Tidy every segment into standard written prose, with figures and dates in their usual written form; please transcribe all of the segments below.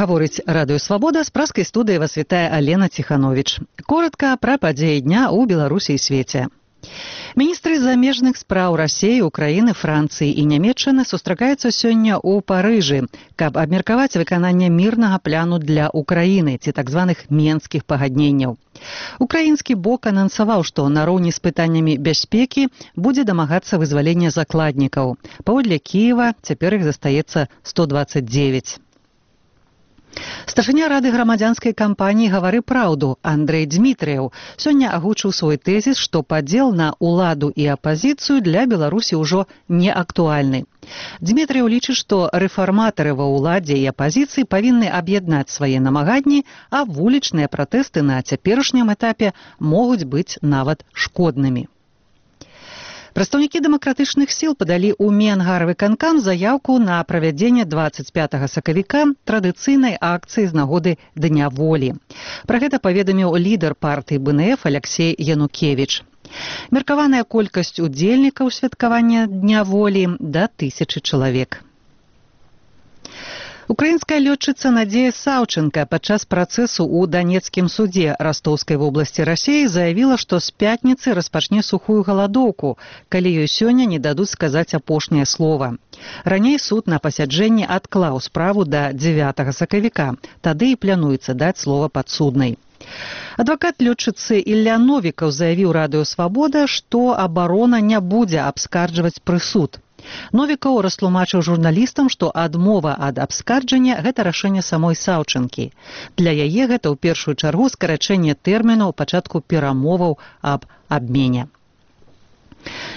Гаворыць Радыё Свабода, з праскай студыі вас вітае Алена Ціхановіч. Коротка пра падзеі дня ў Беларусі і свеце. Міністры замежных спраў Расіі, Украіны, Францыі і Нямецчыны сустракаюцца сёння ў Парыжы, каб абмеркаваць выкананне мірнага пляну для Украіны, ці так званых менскіх пагадненняў. Украінскі бок анансаваў, што нароўні з пытаннямі бяспекі будзе дамагацца вызвалення закладнікаў. Паводле Кіева цяпер іх застаецца 129. Старшыня Рады грамадзянскай кампаніі «Гавары праўду» Андрэй Дзмітрыеў сёння агучыў свой тэзіс, што падзел на ўладу і апазіцыю для Беларусі ўжо не актуальны. Дзмітрыеў лічыць, што рэфарматары ва ўладзе і апазіцыі павінны аб'яднаць свае намаганні, а вулічныя пратэсты на цяперашнім этапе могуць быць нават шкоднымі. Прадстаўнікі дэмакратычных сіл падалі ў Менгарвыканкам заяўку на правядзенне 25 сакавіка традыцыйнай акцыі з нагоды Дня волі. Пра гэта паведаміў лідар партыі БНФ Аляксей Янукевіч. Меркаваная колькасць удзельнікаў святкавання Дня волі да 1000 чалавек. Украінская лётчыца Надзея Саўченка падчас працэсу ў Данецкім судзе Растоўскай вобласці Расіі заявіла, што з пятніцы распачне сухую галадоўку, калі ёй сёння не дадуць сказаць апошняе слова. Раней суд на пасяджэнні адклаў справу да 9 сакавіка, тады і плануецца даць слова падсуднай. Адвакат лётчыцы Ілля Новікаў заявіў Радыё Свабода, што абарона не будзе абскарджваць прысуд. Новікаў растлумачыў журналістам, што адмова ад абскарджання – гэта рашэнне самой Саўчэнкі. Для яе гэта ў першую чаргу скарачэнне тэрмінаў пачатку перамоваў аб абмене.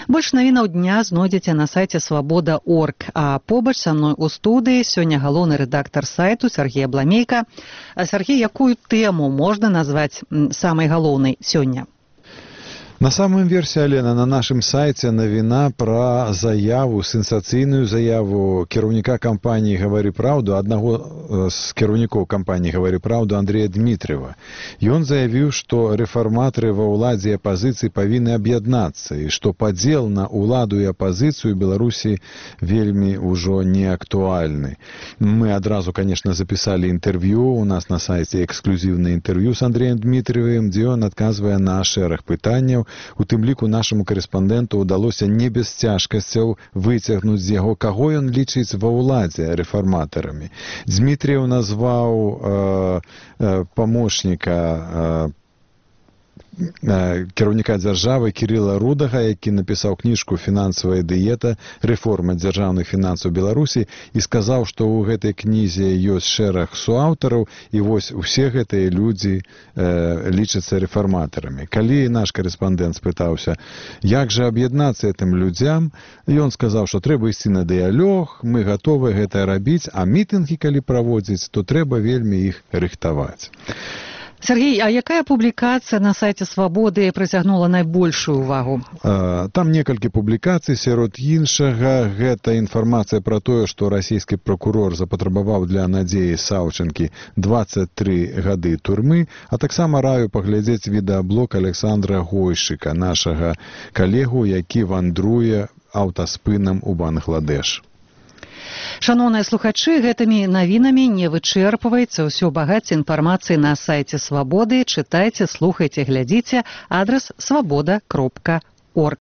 Больш навінаў дня знойдзеце на сайце свабода.орг, а побач са мной у студыі сёння галоўны рэдактар сайту Сергей Абламейка. Сергей, якую тэму можна назваць самай галоўнай сёння? На самым версе, Алена, на нашым сайце навіна пра заяву, сенсацыйную заяву кіраўніка кампаніі «Гавары праўду», аднаго з кіраўнікоў кампаніі «Гавары праўду» Андрэя Дмітрыева. Ён заявіў, што рэфарматары ва ўладзе і апазіцыі павінны аб'яднацца і што падзел на ўладу і апазіцыю Беларусі вельмі ўжо не актуальны. Мы адразу, конечно, запісалі інтэрв'ю, у нас на сайце эксклюзіўнае інтэрв'ю з Андрэем Дмітрыевым, дзе ён адказвае на шэраг пытанняў. У тым ліку нашаму карэспандэнту ўдалося не без цяжкасцяў выцягнуць з яго, каго ён лічыць ва ўладзе рэфарматарамі. Дзмітрыеў назваў памочніка кіраўніка дзяржавы Кірыла Рудага, які напісаў кніжку «Фінансавая дыета. Рэформа дзяржаўных фінансаў Беларусі» і сказаў, што ў гэтай кнізе ёсць шэраг суаўтараў, і вось усе гэтыя людзі лічацца рэфарматарамі. Калі наш карэспандэнт спытаўся, як жа аб'яднацца гэтым людзям, ён сказаў, што трэба ісці на дыялог, мы гатовы гэта рабіць, а мітынгі, калі праводзіць, то трэба вельмі іх рыхтаваць. Сергей, а якая публікацыя на сайце «Свабоды» прыцягнула найбольшую ўвагу? Там некалькі публікацый, сярод іншага гэта інфармацыя пра тое, што расійскі пракурор запатрабаваў для Надзеі Саўчэнкі 23 гады турмы, а таксама раю паглядзець відэаблог Александра Гойшчыка, нашага калегу, які вандруе аўтаспынам у Бангладеш. Шаноўныя слухачы, гэтымі навінамі не вычэрпваецца ўсё багацце інфармацыі на сайце Свабоды. Чытайце, слухайце, глядзіце. Адрас свабода.орг.